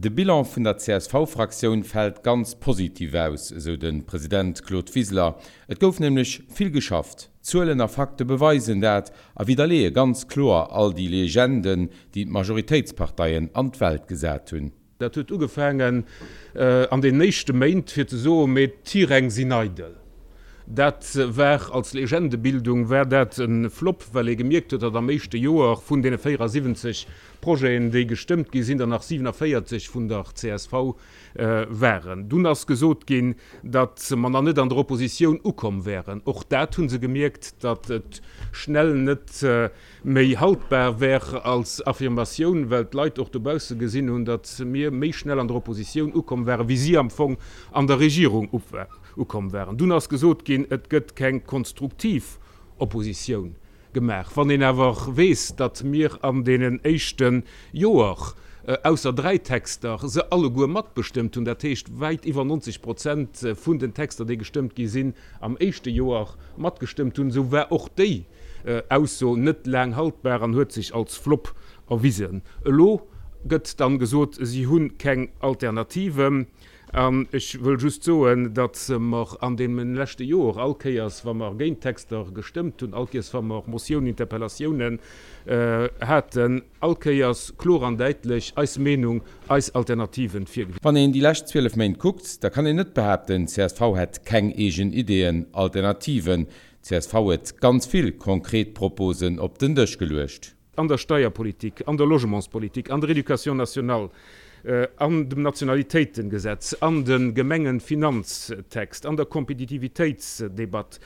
De Bilan vun der CSV-Fraktioun fält ganz positiv aus, esou de President Claude Wiseler. Et gouf nämlech vill geschafft. Zuelen a Fakte beweisen dat a widderleeë ganz kloer all déi Legenden, déi d'Majoritéitsparteien an d'Welt gesat hunn. Dat huet ugefaangen an deenen éischte Méint, fir ze soen, mee d'Tiräng sinn eidel. Dat war als Legendebildung war dat e Flop, well ee gemierkt huet, datt am éischte Joer vun deene 74 Projeten, déi gestëmmt gi sinn, der nach 47 vun der csv waren. Dunn ass gesot ginn, datt mer nach net an der Oppositioun ukomm wären. Och dat hu se gemierkt, datt et schnell net méi haltbar wär als Affirmatioun, well d'Leit och dobausse gesinn hunn, datt mir méi schnell an der Oppositioun ukomm waren, wéi si am Fong an der Regierung ukomm waren. Dunn ass gesot ginn, et gëtt keng konstruktiv Oppositioun gemaach. Wann een awer weess, datt mir an deenen éischte Joer, ausser 3 Texter, se alleguer matbestëmmt hunn, dat heescht wäit iwwer 90 Prozent vun den Texter, déi gestëmmt gi sinn, am éischte Joer matgestëmmt hunn, esou war och déi Ausso net laang haltbar an huet sech als Flop erwisen. Elo gëtt dann gesot, si hu keng Alternative. An ech wëll just soen, datt mer an deem leschte Joer all Kéiers, wa mer géint Texter gestëmmt hunn, all Kéiers, wa mer Motiounen, Interpellatiounen haten, all Kéiers kloer an däitlech eis Meenung, eis Alternativen virgewisen. Wann een déi lescht 12 Méint kuckt, da kann een net behaapten, csv hätt keng eegen Ideeën, Alternativen. Csv huet ganz vill konkret Proposen op den Dësch geluecht. An der Steierpolitik, an der Logementspolitik, an der Éducation nationale, an dem Nationalitéitengesetz, an de Gemengenfinanztext, an der Kompetitivitéitsdebatt,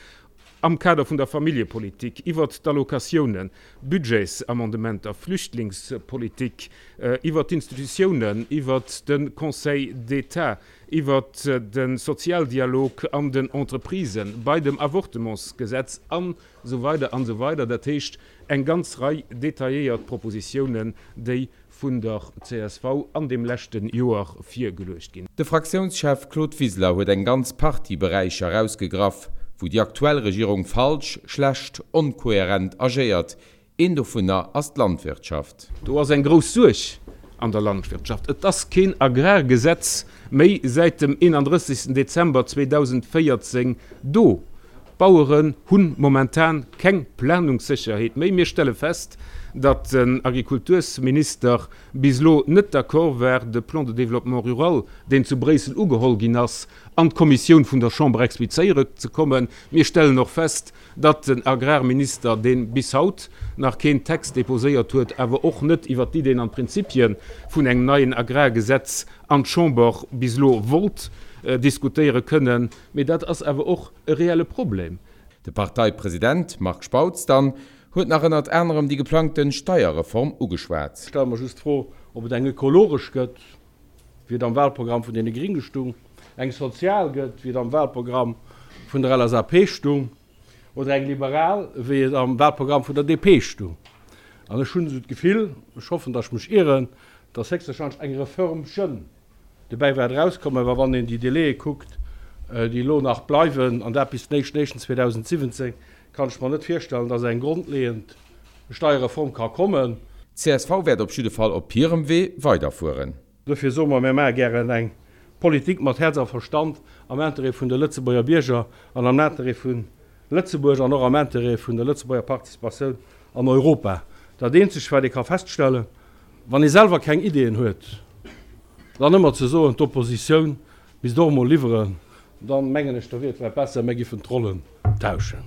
am Kader vun der Familljepolitik, iwwert d'Allocatiounen, Budgetsamendementer, Flüchtlingspolitik, iwwert d'Institutiounen, iwwert de Conseil d'État, iwwert de Sozialdialog an den Entreprisen, bei dem Avortementsgesetz an esou weider an esou weider. Dat heescht, eng ganz Rei detailléiert Propositiounen, déi vun der csv an deem leschte Joer virgeluecht ginn. De Fraktiounschef Claude Wiseler huet eng ganz Partie Beräicher erausgegraff, wou déi aktuell Regierung falsch, schlecht, onkohärent agéiert. Een dovunner ass d'Landwirtschaft. Do ass eng grouss Suerg an der Landwirtschaft. Et ass keen Agrargesetz méi säit dem 31. Dezember 2014 do. D'Baueren hu momentan keng Planungssécherheet méi. Mir stelle fest, datt den Agrikultursminister bis elo net d'accord war, de Plan de développement rural, deen zu Bréissel ugeholl ginn ass, an d'Kommissioun vun der Chamber explizéiere ze kommen. Mir stellen och fest, datt den Agrarminister, dee bis haut nach keen Text déposéiert huet, awer och net iwwert d'Ideen an d'Prinzipie vun engem neien Agrargesetz an d'Chamber bis elo wollt diskutéiere kënnen. Mee dat ass awer och e reelle Problem. De Parteipresident Marc Spautz dann huet nach ënnert anerem déi geplangte Steierreform ugeschwat. Ech stelle mer just d'Fro, ob et eng ökologesch gëtt, wéi et am Wahlprogramm vun deene Gringe stung, eng sozial gëtt, wéi et am Wahlprogramm vun der LSAP stung, oder eng liberal, wéi et am Wahlprogramm vun der DP stung. An ech hunn esou d'Gefill, ech hoffen, datt ech mech ieren, datt héchstwahrscheinlech eng Reförmchen dobäi wäert erauskommen, well wann een déi Délaië kuckt, déi elo nach bleiwen, an dat bis den éischten éischten 2017, kann ech mer net virstellen, datt eng grondleeënd Steierreform ka kommen. Csv wäert op jidde Fall op hirem Wee weiderfueren. Dofir soe mer, mir maache gären eng Politik mat Häerz a Verstand am Interêt vun de Lëtzebuerger Bierger an am Interêt vu Lëtzebuerg an och am Interêt vun der Lëtzebuerger Participatioun an Europa. Dat eenzegt, wat ee ka feststellen, wann ee selwer keng Ideeën huet, dann ëmmer ze soen, d'Oppositioun misst och emol liwweren, dann mengen ech, da wier et vläicht besser, mir giffen d'Rollen tauschen.